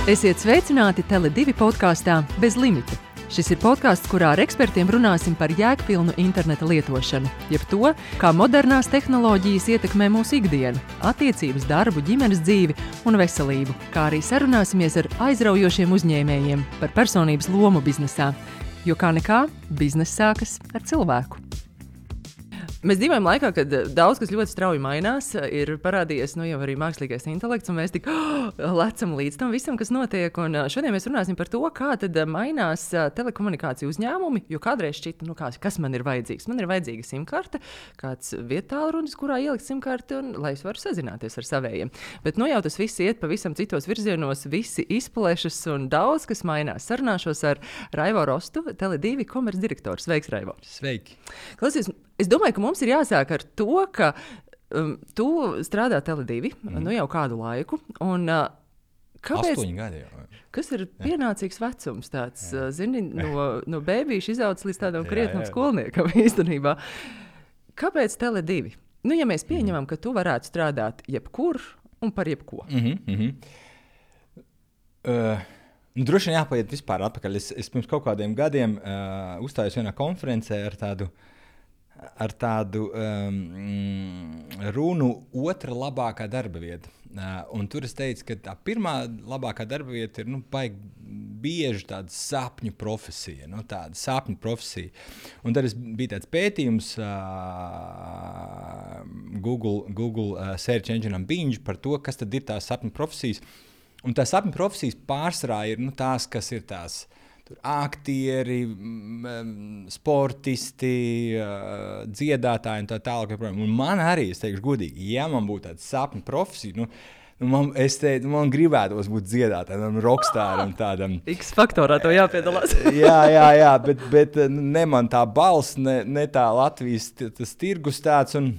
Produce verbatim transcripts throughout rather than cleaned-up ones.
Esiet sveicināti Tele divi podkāstā Bez limita. Šis ir podkāsts, kurā ar ekspertiem runāsim par jēgpilnu interneta lietošanu, jeb to, kā modernās tehnoloģijas ietekmē mūsu ikdienu, attiecības, darbu, ģimenes dzīvi un veselību, kā arī sarunāsimies ar aizraujošiem uzņēmējiem par personības lomu biznesā, jo kā nekā, bizness sākas ar cilvēku. Mēs dzīvojam laikā, kad daudz kas ļoti strauji mainās, ir parādījies nu, jau arī mākslīgais intelekts, un mēs tik oh, lecam līdz tam visam, kas notiek. Un šodien mēs runāsim par to, kā tad mainās telekomunikāciju uzņēmumi, jo kādreiz šķita, nu, kā, kas man ir vajadzīgs. Man ir vajadzīga simkarte, kāds vietālrunis, kurā ielikt simkarti, un lai es varu sazināties ar savējiem. Bet nu jau tas viss iet pavisam citos virzienos, visi izplešas un daudz kas mainās. Sarunāšos ar Raivo Rostu, Tele divi komercdirektors. Sveiks, Raivo! Sveiki! Klausies, es domāju, ka mums ir jāsāk ar to, ka um, tu strādā Tele divi mm. nu jau kādu laiku. Un, uh, kāpēc, Astoņi gadi jau. Kas ir pienācīgs vecums tāds, uh, zini, no, no bēbīša izaudzis līdz tādam krietnam skolniekam īstenībā. Kāpēc Tele divi? Nu, ja mēs pieņemam, mm. ka tu varētu strādāt jebkur un par jebko. Mm-hmm, mm-hmm. Uh, nu, droši vien jāpaiet vispār atpakaļ. Es, es pirms kaut kādiem gadiem uh, uzstājos vienā konferencē ar tādu ar tādu um, runu otra labākā darba vieta. Uh, un tur es teicu, ka tā pirmā labākā darba vieta ir nu, baigi bieži tāda sapņu profesija. Nu, tāda sapņu profesija. Un tad bija tāds pētījums uh, Google, Google uh, search engine'am Bing par to, kas tad ir tās sapņu profesijas. Un tās sapņu profesijas pārsvarā ir nu, tās, kas ir tās Tur aktieri, sportisti, dziedātāji un tā tālāk. Un man arī, es teikšu godīgi, ja man būtu tāda sapņu profesija, nu, nu man, es teicu, man gribētos būt dziedātājam, rockstāram tādam. X-faktorā to jāpiedalās. jā, jā, jā, bet, bet ne man tā balss, ne, ne tā Latvijas tas tirgus tāds un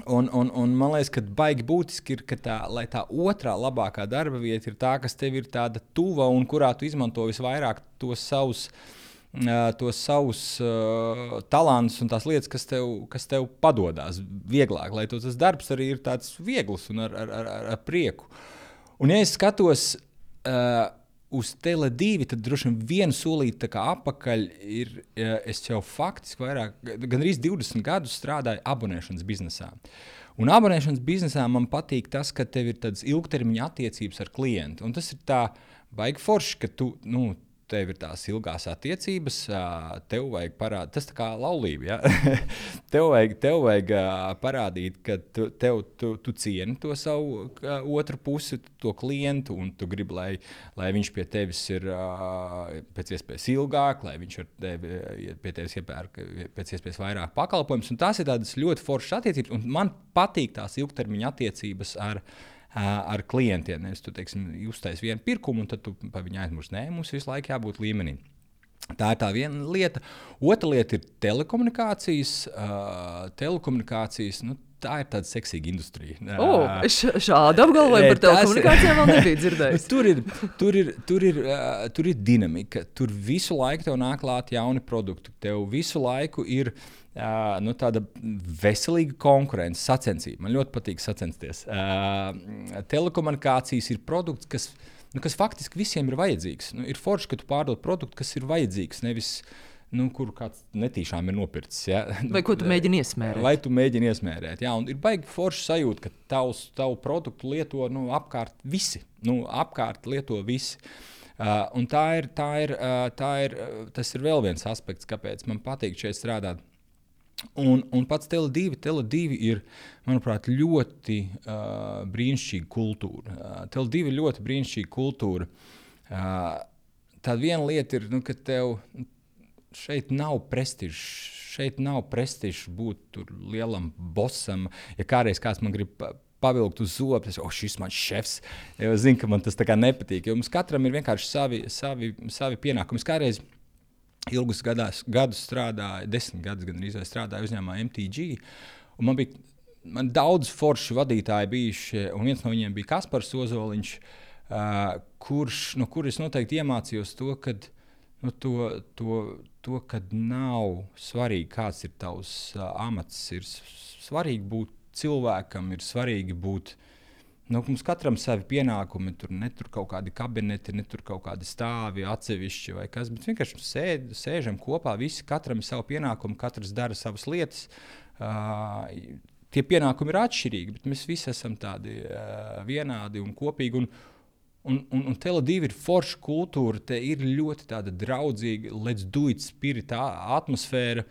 Un, un, un man liekas, ka baigi būtiski ir, ka tā, lai tā otrā labākā darba vieta ir tā, kas tev ir tāda tuva un kurā tu izmanto visvairāk tos savus, uh, tos savus uh, talantus un tās lietas, kas tev, kas tev padodās vieglāk, lai tas darbs arī ir tāds viegls un ar, ar, ar, ar prieku. Un ja es skatos uh, uz Tele divi, tad droši vien vienu solīti tā kā apakaļ ir, es jau faktiski vairāk, gandrīz divdesmit gadus strādāju abonēšanas biznesā. Un abonēšanas biznesā man patīk tas, ka tev ir tādas ilgtermiņa attiecības ar klientu. Un tas ir tā baigi forši, ka tu, nu, tev ir tās ilgās attiecības, tev vajag parādīt, tas tā kā laulība, ja? tev vajag, tev vajag parādīt, ka tu, tev, tu, tu cieni to savu otru pusi, to klientu, un tu gribi, lai, lai viņš pie tevis ir pēc iespējas ilgāk, lai viņš ar tevi, pie tevis iepērk pēc iespējas vairāk pakalpojumus, un tās ir tādas ļoti foršas attiecības, un man patīk tās ilgtermiņa attiecības ar ar klientiem. Es tu, teiksim, uztais vienu pirkumu, un tad tu pa viņu aizmurs. Nē, mums visu laiku jābūt līmenī. Tā ir tā viena lieta. Otra lieta ir telekomunikācijas. Uh, telekomunikācijas, nu, tā ir tāda seksīga industrija. Oh, š- šādu apgalvojumu par telekomunikācijām vēl nebija dzirdējis. tur, ir, tur, ir, tur, ir, uh, tur ir dinamika. Tur visu laiku tev nāk klāt jauni produkti. Tev visu laiku ir Uh, nu, tāda veselīga konkurence, sacensība. Man ļoti patīk sacensties. Uh, telekomunikācijas ir produkts, kas, nu, kas faktiski visiem ir vajadzīgs. Nu, ir forši, ka tu pārdod produktu, kas ir vajadzīgs, nevis nu, kur kāds netīšām ir nopircis. Ja? Vai ko tu mēģini iesmērēt? Vai tu mēģini iesmērēt. Jā, un ir baigi forši sajūta, ka tavs, tavu produktu lieto nu, apkārt visi. Nu, apkārt lieto visi. Uh, un tā ir, tā ir, uh, tā ir, uh, tas ir vēl viens aspekts, kāpēc man patīk šeit strādāt. Un, un pats Tele divi, Tele divi ir, manuprāt, ļoti uh, brīnišķīga kultūra. Uh, Tele divi ir ļoti brīnišķīga kultūra. Uh, tā viena lieta ir, nu, ka tev šeit nav prestižs. Šeit nav prestižs būt tur lielam bosam. Ja kādreiz kāds man grib pavilkt uz zobu, es o, šis man šefs. Ja zinu, ka man tas tā kā nepatīk. Jo mums katram ir vienkārši savi, savi, savi pienākumi. Es kādreiz ilgus gadās, gadus strādāju, desmit gadus gan arī strādāju uzņēmumā M T G. Un man bija man daudz forši vadītāji bijuši, un viens no viņiem bija Kaspars Ozoliņš, uh, kurš, no kuras noteikti iemācījos to, kad, nu, to, to, to, kad nav svarīgi, kāds ir tavs uh, amats, ir svarīgi būt cilvēkam, ir svarīgi būt Nu, mums katram savi pienākumi, tur ne tur kaut kādi kabineti, ne tur kaut kādi stāvi atsevišķi vai kas, bet vienkārši sēd, sēžam kopā, visi katram ir savu pienākumu, katrs dara savas lietas. Uh, tie pienākumi ir atšķirīgi, bet mēs visi esam tādi uh, vienādi un kopīgi. Un, un, un, un Tele divi ir forša kultūra, te ir ļoti tāda draudzīga, let's do it spirit atmosfēra.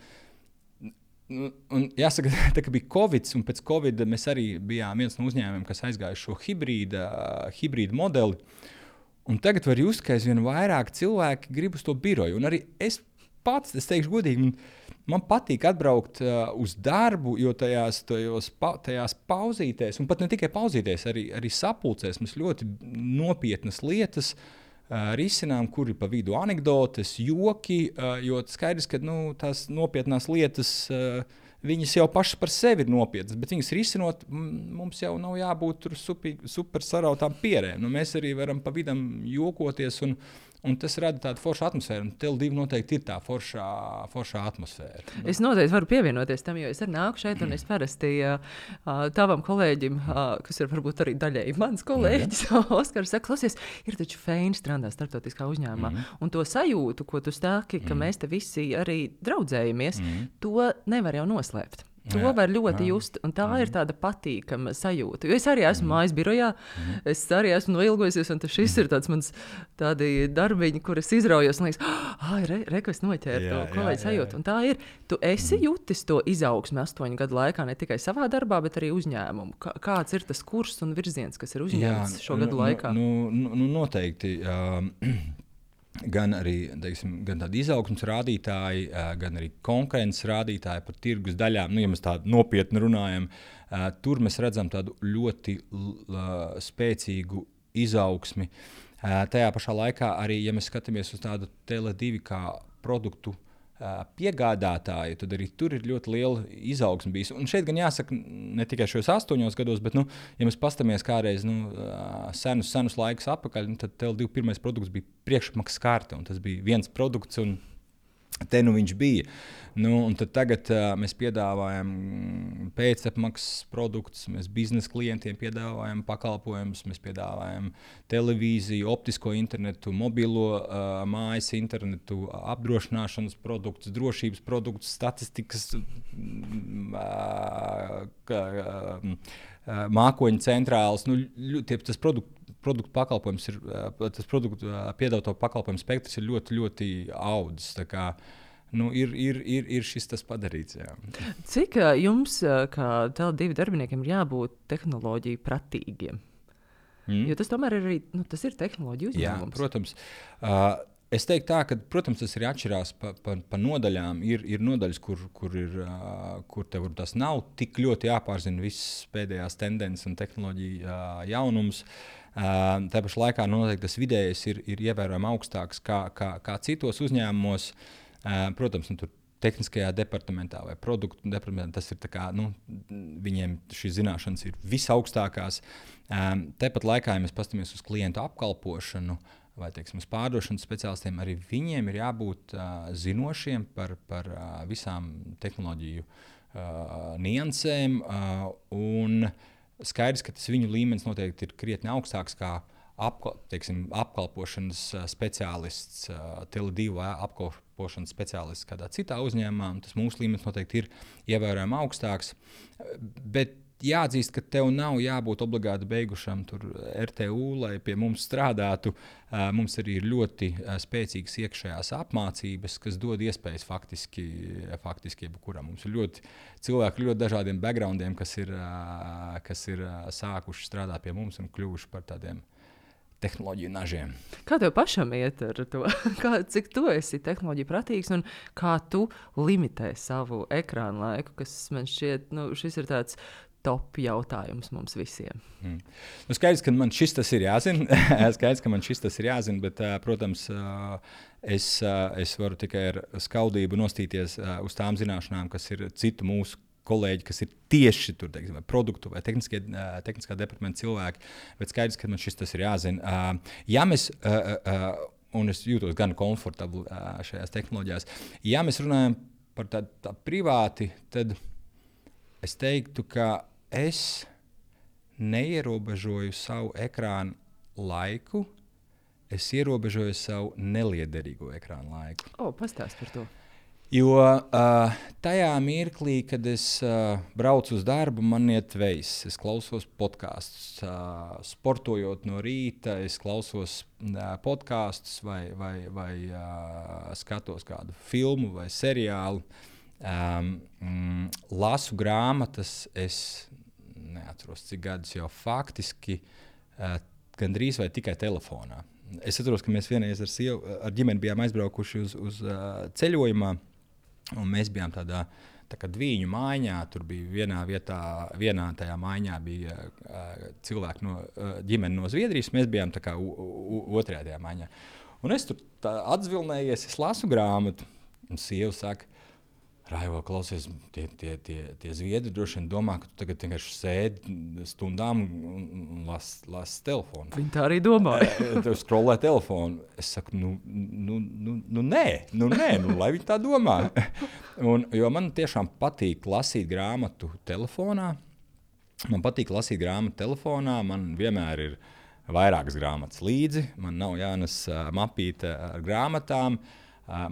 Un jāsaka, tā, ka bija Covid, un pēc Covid mēs arī bijām viens no uzņēmumiem, kas aizgāja šo hibrīda, hibrīda modeli. Un tagad var just, ka aizvien vairāk cilvēki grib uz to biroju. Un arī es pats, es teikšu godīgi, man patīk atbraukt uh, uz darbu, jo tajās, tajos, pa, tajās pauzītēs, un pat ne tikai pauzītēs, arī, arī sapulcēs mums ļoti nopietnas lietas Uh, risinām, kur ir pa vidu anekdotes, joki, uh, jo skaidrs, ka nu, tās nopietnās lietas, uh, viņas jau pašas par sevi ir nopietnas, bet viņas risinot, mums jau nav jābūt tur super, super sarautām pierēm. Nu, mēs arī varam pa vidam jokoties, un, un tas rada tādu foršu atmosfēru. Tele divi noteikti ir tā foršā, foršā atmosfēra. Es noteikti varu pievienoties tam, jo es arī nāku šeit, un es parasti uh, tavam kolēģim, uh, kas ir varbūt arī daļēji mans kolēģis, Oskars, saka, klausies, ir taču feini strādāt starptautiskā uzņēmumā. Mm-hmm. Un to sajūtu, ko tu stāki, ka mm-hmm. mēs te visi arī draudzējamies, mm-hmm. to nevar jau noslēpt. To jā, var ļoti jā. just, un tā mm. ir tāda patīkama sajūta. Jo es arī esmu mm. mājas birojā, mm. es arī esmu noilgojusies, un šis mm. ir tāds mans tādi darbiņi, kur es izraujos, un liekas, ah, re, re, ko es noķēru to kolēģi sajūtu. Un tā ir, tu esi mm. jutis to izaugsmi astoņu gadu laikā, ne tikai savā darbā, bet arī uzņēmumu. Kā, kāds ir tas kurs un virziens, kas ir uzņemts jā, šo gadu nu, laikā? Nu, nu, nu noteikti. Uh, Gan arī teiksim, gan tādi izaugsmes rādītāji, gan arī konkurences rādītāji par tirgus daļām. Nu, ja mēs tādu nopietni runājam, tur mēs redzam tādu ļoti spēcīgu izaugsmi. Tajā pašā laikā arī, ja mēs skatāmies uz tādu Tele divi kā produktu piegādātāju, tad arī tur ir ļoti liela izaugsme bijis. Un šeit gan jāsaka, ne tikai šajos astoņos gados, bet, nu, ja mēs pastamies kādreiz nu, senus, senus laikus atpakaļ, nu, tad Tele divi pirmais produkts bija priekšmaksas karte, un tas bija viens produkts, un te nu viņš bija. Nu, un tad tagad uh, mēs piedāvājam pēcapmaksas produktus, mēs biznesa klientiem piedāvājam pakalpojumus, mēs piedāvājam televīziju, optisko internetu, mobilo uh, mājas internetu, apdrošināšanas produktus, drošības produktus, statistikas, uh, kā, uh, mākoņu centrāls. Nu, tie, tas produktu, produktu pakalpojums ir, uh, tas produktu uh, piedāvāto pakalpojumu spektrs ir ļoti, ļoti audzis. Tā kā Nu, ir, ir, ir, ir šis tas padarīts. Jā. Cik uh, jums, uh, kā Tele divi darbiniekiem, ir jābūt tehnoloģiju pratīgiem? Mm. Jo tas tomēr ir, arī, nu, tas ir tehnoloģiju uzņēmums. Jā, protams. Uh, es teiktu tā, ka, protams, tas ir atšķirās pa, pa, pa nodaļām. Ir, ir nodaļas, kur, kur, ir, uh, kur tev tas nav tik ļoti jāpārzina visas pēdējās tendences un tehnoloģiju uh, jaunums. Uh, tā pašā laikā noteikti tas vidējais ir, ir ievērojami augstāks kā, kā, kā citos uzņēmumos. Uh, protams, nu, tur tehniskajā departamentā vai produktu departamentā tas ir tā kā, nu, viņiem šīs zināšanas ir visaugstākās. Um, Tāpat laikā, ja mēs paskatāmies uz klientu apkalpošanu vai, teiksim, uz pārdošanas speciālistiem, arī viņiem ir jābūt uh, zinošiem par, par uh, visām tehnoloģiju uh, niansēm, uh, un skaidrs, ka tas viņu līmenis noteikti ir krietni augstāks kā apkal, teiksim, apkalpošanas speciālists, uh, Tele divi vai apkalpošanas speciālists kādā citā uzņēmumā. Tas mūsu līmenis noteikti ir ievērojami augstāks. Bet jāatzīst, ka tev nav jābūt obligāti beigušam tur R T U, lai pie mums strādātu. Uh, mums arī ir ļoti uh, spēcīgas iekšējās apmācības, kas dod iespējas faktiski, faktiski jebkuram. Mums ir ļoti cilvēki ļoti dažādiem backgroundiem, kas ir, uh, kas ir uh, sākuši strādāt pie mums un kļuvuši par tādiem tehnoloģiju nažiem. Kā tev pašam iet ar to? Kā, cik tu esi tehnoloģija pratīgs un kā tu limitē savu ekrānu laiku, kas man šķiet, nu, šis ir tāds top jautājums mums visiem. Mm. Nu, skaidrs, ka man šis tas ir jāzina. skaidrs, ka man šis tas ir jāzina, bet, uh, protams, uh, es, uh, es varu tikai ar skaudību nostīties uh, uz tām zināšanām, kas ir citu mūsu kolēģi, kas ir tieši tur, teiksim, vai produktu vai tehniskie, uh, tehniskā departamenta cilvēki, bet skaidrs, ka man šis tas ir jāzina. Uh, ja mēs, uh, uh, un es jūtos gan komfortabli uh, šajās tehnoloģijās, ja mēs runājam par tādu tā privāti, tad es teiktu, ka es neierobežoju savu ekrānu laiku, es ierobežoju savu neliederīgo ekrānu laiku. O, pastāst par to. Jo uh, tajā mirklī, kad es uh, braucu uz darbu, man iet veiss. Es klausos podkastus. Uh, sportojot no rīta, es klausos uh, podkastus vai, vai, vai uh, skatos kādu filmu vai seriālu. Um, mm, lasu grāmatas, es neatceros, cik gadus jau faktiski uh, gandrīz vai tikai telefonā. Es atceros, ka mēs vienreiz ar, sievu, ar ģimeni bijām aizbraukuši uz, uz uh, ceļojumā. Un mēs bijām tādā tā kā dviņu mājā. Tur bija vienā vietā, vienā tajā mājā bija uh, cilvēki no uh, ģimene no Zviedrijas. Mēs bijām tā kā u, u, otrajā tajā mājā. Un es tur atzvilnējies, es lasu grāmatu. Un sieva saka, Raivo, klausies, tie, tie, tie, tie Zviedri droši vien domā, ka tu tagad vienkārši sēdi stundām un, un lasi las telefonu. Viņi tā arī domāja. Tu scrollē telefonu. Es saku, nu, nu, nu, nu nē, nu nē, nu lai viņi tā domā. Un, jo man tiešām patīk lasīt grāmatu telefonā. Man patīk lasīt grāmatu telefonā. Man vienmēr ir vairākas grāmatas līdzi. Man nav jānes uh, mapīte ar grāmatām. Uh,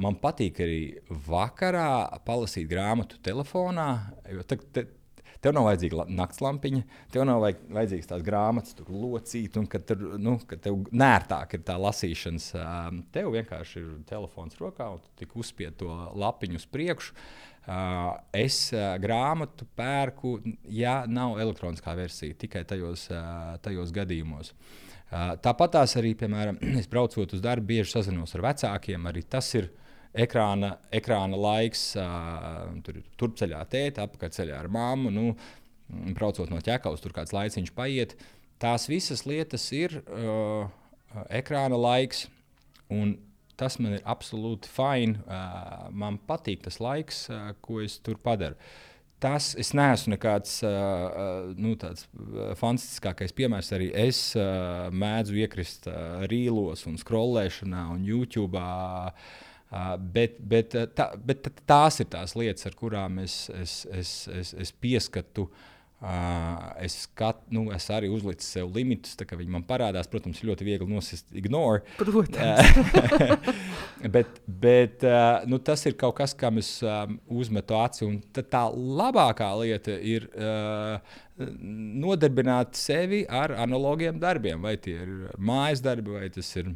man patīk arī vakarā palasīt grāmatu telefonā, jo te, te, tev nav vajadzīga naktslampiņa, tev nav vajag, vajadzīgas tās grāmatas tur locīt, un kad, tur, nu, kad tev nērtāk ir tā lasīšanas, uh, tev vienkārši ir telefons rokā, un tu tik uzspied to lapiņu uz priekšu. Uh, es uh, grāmatu pērku, ja nav elektroniskā versija, tikai tajos, uh, tajos gadījumos. Uh, Tāpat tās arī, piemēram, es braucot uz darbu, bieži sazinos ar vecākiem. Arī tas ir ekrāna, ekrāna laiks. Uh, tur ir turpceļā tēta, apakaļceļā ar mammu. Nu, braucot no ķekavas, tur kāds laiciņš paiet. Tās visas lietas ir uh, ekrāna laiks. Un tas man ir absolūti fine. Uh, man patīk tas laiks, uh, ko es tur padaru. Tas es neesmu nekāds uh, nu, tāds fantastiskākais piemērs. Arī es uh, mēdzu iekrist uh, rīlos un scrollēšanā un YouTube. Uh, bet, bet, tā, bet tās ir tās lietas, ar kurām es, es, es, es, es pieskatu. Uh, es, skat, nu, es arī uzlicu sev limitus, tā kā viņi man parādās. Protams, ir ļoti viegli nosist ignore. Protams. bet bet uh, nu, tas ir kaut kas, kam es um, uzmetu aci. Un tā labākā lieta ir uh, nodarbināt sevi ar analogiem darbiem. Vai tie ir mājas darbi, vai tas ir.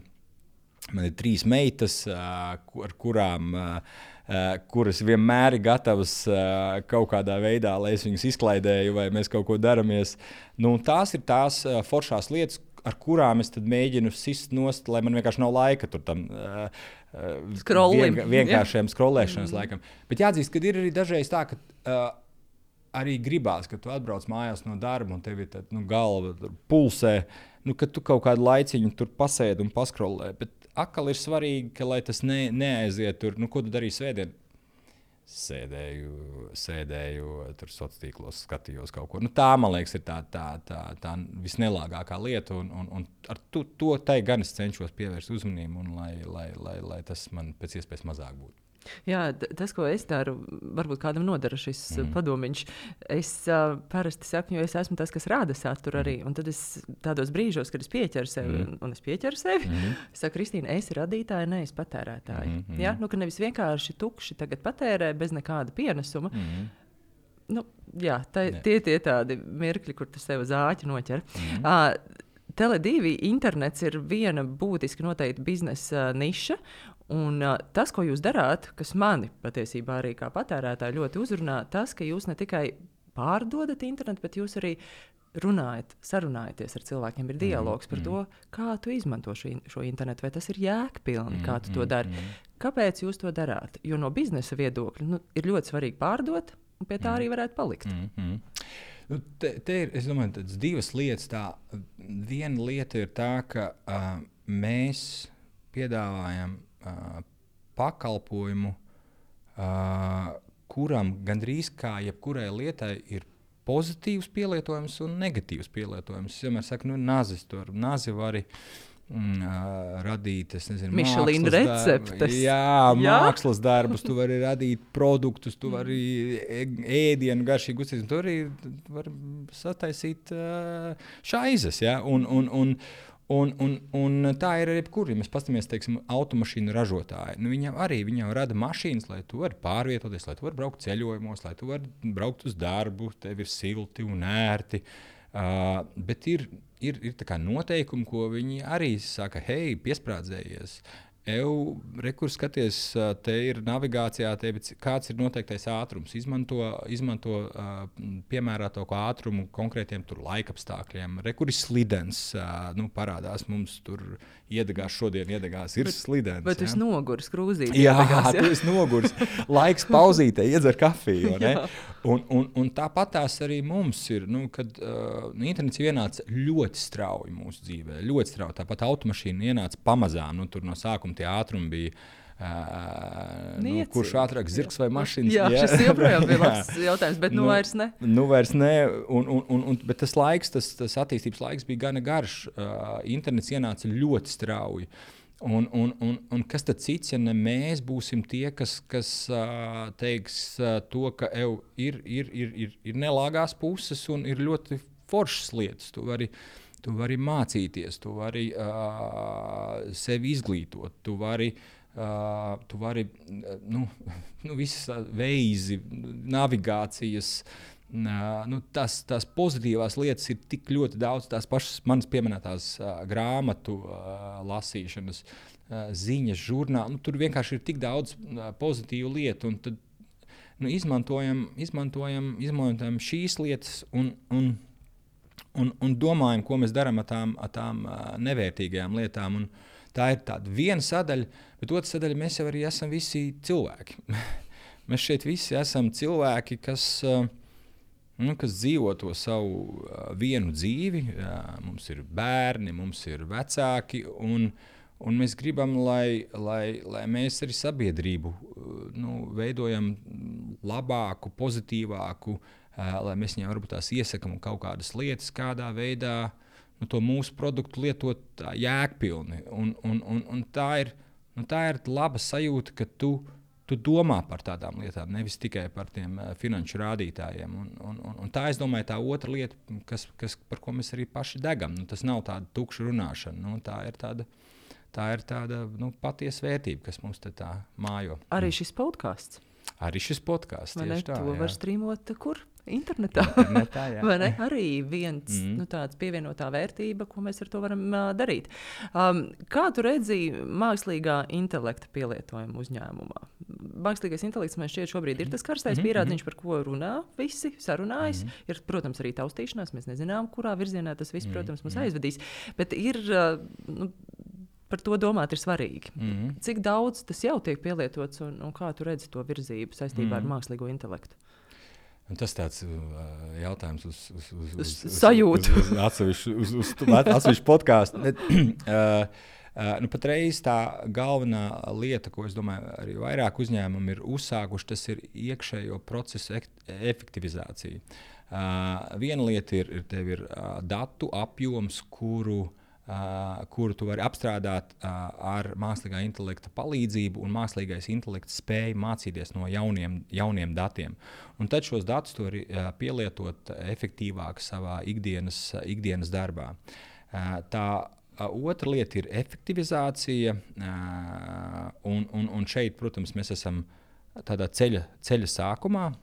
Man ir trīs meitas, uh, ar kurām. Uh, Uh, kuras vienmēr ir gatavas uh, kaut kādā veidā, lai es viņus izklaidēju vai mēs kaut ko daramies. Nu, tās ir tās uh, foršās lietas, ar kurām es mēģinu sist nost, lai man vienkārši nav laika tur tam uh, vien, vienkāršiem scrollēšanas mm. laikam. Bet jāatzīst, ka ir arī dažreiz tā, ka uh, arī gribās, ka tu atbrauc mājās no darba un tev ir tā, nu, galva pulsē, nu, ka tu kaut kādu laiciņu tur pasēdi un paskrollē. Bet atkal ir svarīgi, ka, lai tas ne, neaiziet tur, nu, ko tu darīji svētdien? Sēdēju, sēdēju tur sociālos tīklos, skatījos kaut ko. Nu, tā, man liekas, ir tā, tā, tā, tā visnelāgākā lieta, un, un, un ar to, to tai gan es cenšos pievērst uzmanību, un lai, lai, lai, lai tas man pēc iespējas mazāk būtu. Jā, tas, ko es daru, varbūt kādam nodara šis mm. padomiņš. Es uh, parasti saku, jo es esmu tas, kas rāda saturu arī. Un tad es tādos brīžos, kad es pieķeru sevi, mm. un es pieķeru sevi, mm. es saku, Kristīna, es radītāja, nevis patērētāja. Mm. Ja? Nu, ka nevis vienkārši tukši tagad patērē bez nekāda pienesuma. Mm. Nu, jā, tā, tie tie tādi mirkļi, kur tu sev zāķi noķer. Mm. Uh, Tele divi internets ir viena būtiski noteikti biznesa uh, niša. Un uh, tas, ko jūs darāt, kas mani patiesībā arī kā patērētāji ļoti uzrunā, tas, ka jūs ne tikai pārdodat internetu, bet jūs arī runājat, sarunājaties ar cilvēkiem. Ir dialogs par to, kā tu izmanto šo, šo internetu, vai tas ir jēgpilni, kā tu to dari. Kāpēc jūs to darāt? Jo no biznesa viedokļa nu, ir ļoti svarīgi pārdot, un pie tā arī varētu palikt. Mm-hmm. Nu, te, te ir, es domāju, tādas divas lietas. Tā, viena lieta ir tā, ka uh, mēs piedāvājam uh, pakalpojumu, uh, kuram gandrīz kā jebkurai lietai ir pozitīvs pielietojums un negatīvs pielietojums. Es vienmēr saku, nu, nazis tur, nazi vari Mm, radīt, es nezinu, Michelin receptes. Jā, jā, mākslas darbus, tu vari radīt produktus, tu vari ēdienu garšīgu uztaisīt, tu arī vari sataisīt uh, šaizes, ja? un, un, un, un, un, un tā ir arī jebkur, ja mēs pastamies, teiksim, automašīnu ražotāji. Nu, viņam arī, viņam rada mašīnas, lai tu vari pārvietoties, lai tu vari braukt ceļojumos, lai tu vari braukt uz darbu, tev ir silti un ērti, uh, bet ir Ir, ir tā kā noteikumi, ko viņi arī saka, hei, piesprādzējies. Eju, rekur skaties, te ir navigācijā, te, kāds ir noteiktais ātrums. Izmanto, izmanto uh, piemēroto ātrumu konkrētiem tur laikapstākļiem. Rekur ir slidens, uh, nu, parādās mums tur iedegās šodien, iedegās ir bet, slidens. Bet ja? Es nogurs krūzīt. Jā, iedegās, ja? Tu esi nogurs. Laiks pauzītē, iedzer kafiju. Ne? Un, un, un tāpat tās arī mums ir, nu, kad uh, internets ienāca ļoti strauji mūsu dzīvē, ļoti strauji. Tāpat automašīna ienāca pamazām, nu, tur no sākuma tie ātrumi bija, uh, nu, kurš ātrāk zirgs vai mašīnas. Jā, jā, šis joprojām bija labs jautājums, bet nu, nu vairs ne. Nu vairs ne, un, un, un, un, bet tas laiks, tas, tas attīstības laiks bija gana garš. Uh, internets ienāca ļoti strauji. Un, un, un, un kas tad cits, ja ne mēs būsim tie, kas, kas uh, teiks uh, to, ka ev, ir, ir, ir, ir, ir nelāgās puses un ir ļoti foršas lietas. Tu vari, tu vari mācīties, tu vari uh, sevi izglītot, tu vari, uh, tu vari nu, nu, visas veizi, navigācijas. Uh, nu, tas, tās pozitīvās lietas ir tik ļoti daudz, tās pašas manas pieminētās uh, grāmatu uh, lasīšanas, uh, ziņas, žurnāli. Nu, tur vienkārši ir tik daudz uh, pozitīvu lietu. Un tad nu, izmantojam, izmantojam, izmantojam šīs lietas un, un, un, un domājam, ko mēs darām ar tām, ar tām uh, nevērtīgajām lietām. Un tā ir tāda viena sadaļa, bet otra sadaļa mēs jau arī esam visi cilvēki. Mēs šeit visi esam cilvēki, kas... Uh, Nu, kas dzīvo to savu uh, vienu dzīvi, uh, mums ir bērni, mums ir vecāki, un, un mēs gribam, lai, lai, lai mēs arī sabiedrību uh, nu, veidojam labāku, pozitīvāku, uh, lai mēs viņiem varbūt tās iesakam kaut kādas lietas, kādā veidā nu, to mūsu produktu lietot tā, jēgpilni. Un, un, un, un tā, ir, nu, tā ir laba sajūta, ka tu Tu domā par tādām lietām, nevis tikai par tiem uh, finanšu rādītājiem. Un, un, un, un tā, es domāju, tā otra lieta, kas, kas, par ko mēs arī paši degam, nu, tas nav tāda tukša runāšana. Nu, tā ir tāda, tā ir tāda nu, patiesa vērtība, kas mums te tā mājo. Arī šis podcasts. Arī šis podcasts, tieši tā. To jā. var streamot kur? Internetā. Internetā Vai ne? Arī viens mm. nu, tāds pievienotā vērtība, ko mēs ar to varam uh, darīt. Um, kā tu redzi mākslīgā intelekta pielietojumu uzņēmumā? Mākslīgais intelekts man šķiet šobrīd ir tas karstais mm-hmm. pierādziņš, par ko runā visi, sarunājas. Mm-hmm. Ir, protams, arī taustīšanās. Mēs nezinām, kurā virzienā tas viss, protams, mūs mm-hmm. aizvedīs. Bet ir... Uh, nu, par to domāt ir svarīgi. Mm-hmm. Cik daudz tas jau tiek pielietots un, un kā tu redzi to virzību saistībā mm-hmm. ar mākslīgo intelektu? Un tas tāds uh, jautājums uz, uz, uz, uz, uz sajūtu. Uz, uz atsevišķu, uz, uz, uz atsevišķu podcastu. uh, uh, nu, patreiz tā galvenā lieta, ko es domāju, arī vairāk uzņēmumi ir uzsākuši, tas ir iekšējo procesu efektivizācija. Uh, viena lieta ir, ir, tev ir uh, datu apjoms, kuru Uh, kuru tu vari apstrādāt uh, ar mākslīgā intelekta palīdzību, un mākslīgais intelekts spēj mācīties no jauniem, jauniem datiem. Un tad šos datus tu vari uh, pielietot efektīvāk savā ikdienas, uh, ikdienas darbā. Uh, tā uh, otra lieta ir efektivizācija, uh, un, un, un šeit, protams, mēs esam tādā ceļa, ceļa sākumā.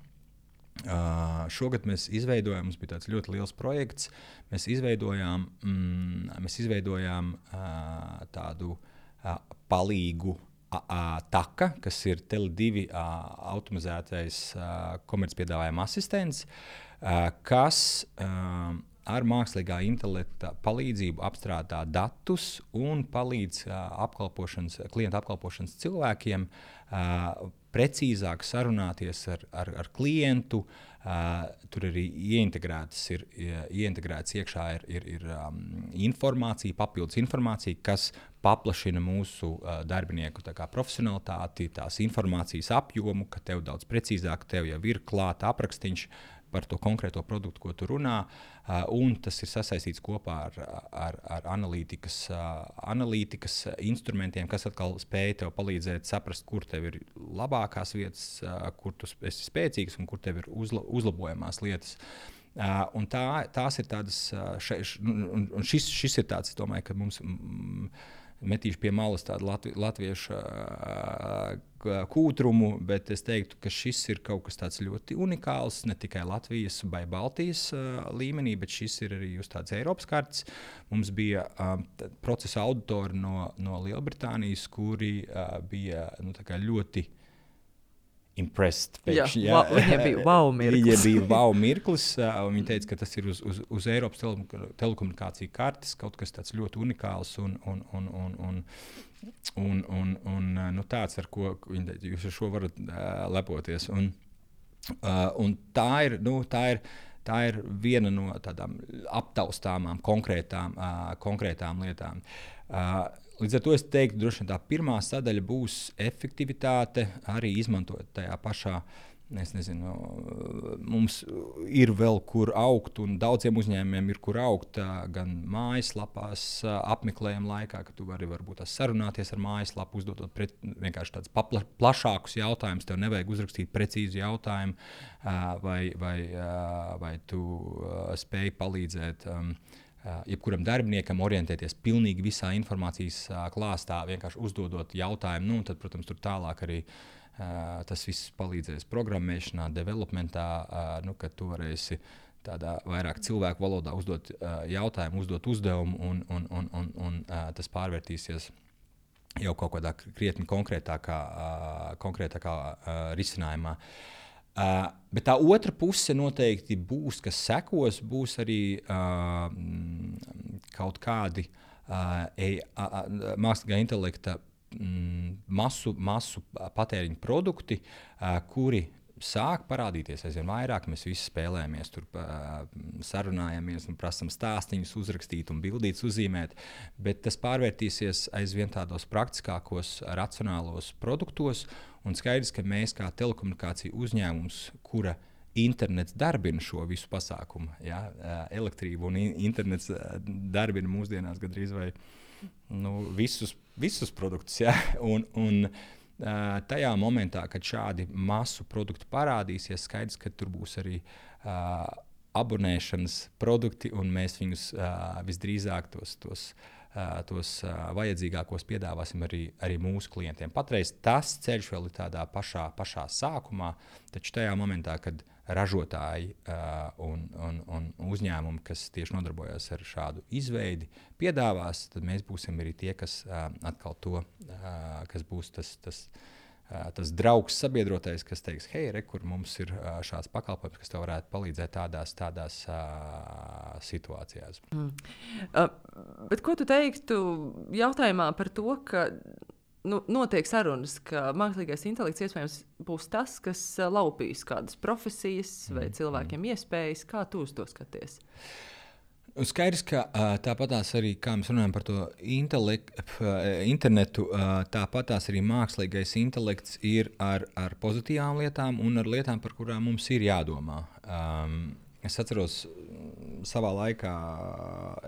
Uh, šogad mēs izveidojām, mums bija tāds ļoti liels projekts, mēs izveidojām, mm, mēs izveidojām uh, tādu uh, palīgu uh, uh, taka, kas ir Tele divi uh, automatizētais uh, komercpiedāvājuma asistents, uh, kas uh, ar mākslīgā intelekta palīdzību apstrādā datus un palīdz uh, apkalpošanas, klienta apkalpošanas cilvēkiem uh, precīzāk sarunāties ar, ar, ar klientu. Uh, tur arī ieintegrētas ir, ieintegrētas iekšā ir, ir, ir um, informācija, papildus informācija, kas paplašina mūsu uh, darbinieku tā kā profesionalitāti, tās informācijas apjomu, ka tev daudz precīzāk, tev jau ir klāta aprakstiņš, par to konkrēto produktu, ko tu runā, uh, un tas ir sasaistīts kopā ar, ar, ar analītikas, uh, analītikas instrumentiem, kas atkal spēj tev palīdzēt saprast, kur tev ir labākās vietas, uh, kur tu esi spēcīgs un kur tev ir uzla, uzlabojamās lietas. Uh, un tā, tās ir tādas, uh, še, š, un, un šis, šis ir tāds, es domāju, ka mums mm, metīšu pie malas tādu latvi, latviešu uh, kūtrumu, bet es teiktu, ka šis ir kaut kas tāds ļoti unikāls, ne tikai Latvijas vai Baltijas uh, līmenī, bet šis ir arī uz tādas Eiropas kartes. Mums bija um, procesa auditori no, no Lielbritānijas, kuri uh, bija nu, tā kā ļoti impressed. Pēkšņi, jā, jā. Viņiem bija wow mirklis. Viņiem bija wow mirklis. Viņi teica, ka tas ir uz, uz, uz Eiropas telekomunikāciju kartes, kaut kas tāds ļoti unikāls un, un, un, un, un, un, un, un nu, tāds, ar ko viņi teica, jūs ar šo varat uh, lepoties. Un, uh, un tā ir, nu, tā ir, tā ir viena no tādām aptaustāmām konkrētām, uh, konkrētām lietām. Uh, Līdz ar to es teiktu, droši vien tā pirmā sadaļa būs efektivitāte, arī izmantojot tajā pašā, es nezinu, mums ir vēl kur augt, un daudziem uzņēmumiem ir kur augt, gan mājaslapās apmeklējuma laikā, ka tu vari varbūt sarunāties ar mājaslapu, uzdodot pret, vienkārši tādus papla, plašākus jautājumus, tev nevajag uzrakstīt precīzu jautājumu, vai, vai, vai tu spēj palīdzēt um, Uh, jebkuram darbiniekam orientēties pilnīgi visā informācijas uh, klāstā, vienkārši uzdodot jautājumu, nu, tad, protams, tur tālāk arī uh, tas viss palīdzēs programmēšanā, developmentā, uh, nu, kad tu varēsi tādā vairāk cilvēku valodā uzdot uh, jautājumu, uzdot uzdevumu, un, un, un, un, un uh, tas pārvērtīsies jau kaut kādā krietni konkrētākā, uh, konkrētākā uh, risinājumā. Uh, bet tā otra puse noteikti būs, kas sekos, būs arī uh, kaut kādi uh, e, uh, mākslīgā intelekta mm, masu, masu patēriņu produkti, uh, kuri sāk parādīties aizvien vairāk. Mēs visi spēlējamies, tur uh, sarunājamies un prasam stāstīņus uzrakstīt un bildītus uzzīmēt, bet tas pārvērtīsies aizvien tādos praktiskākos, racionālos produktos. Un skaidrs, ka mēs kā telekomunikāciju uzņēmums, kura internets darbina šo visu pasākumu, ja, elektrību un internets darbina mūsdienās gandrīz vai nu, visus, visus produktus. Ja, un, un tajā momentā, kad šādi masu produkti parādīsies, skaidrs, ka tur būs arī uh, abonēšanas produkti, un mēs viņus uh, visdrīzāk tos, tos Uh, tos uh, vajadzīgākos piedāvāsim arī, arī mūsu klientiem. Patreiz tas ceļš vēl ir tādā pašā, pašā sākumā, taču tajā momentā, kad ražotāji uh, un, un, un uzņēmumi, kas tieši nodarbojas ar šādu izveidi, piedāvās, tad mēs būsim arī tie, kas uh, atkal to, uh, kas būs tas, tas, uh, tas draugs sabiedrotais, kas teiks, hei, re, kur mums ir uh, šāds pakalpojums, kas tev varētu palīdzēt tādās, tādās uh, situācijās. Mm. Uh, bet ko tu teiktu jautājumā par to, ka nu, notiek sarunas, ka mākslīgais intelekts iespējams būs tas, kas uh, laupīs kādas profesijas vai mm. cilvēkiem mm. iespējas? Kā tu uz to skaties? Skaidrs, ka uh, tāpatās arī, kā mēs runājam par to intelekt, uh, internetu, uh, tāpatās arī mākslīgais intelekts ir ar, ar pozitīvām lietām un ar lietām, par kurām mums ir jādomā. Um, es atceros, savā laikā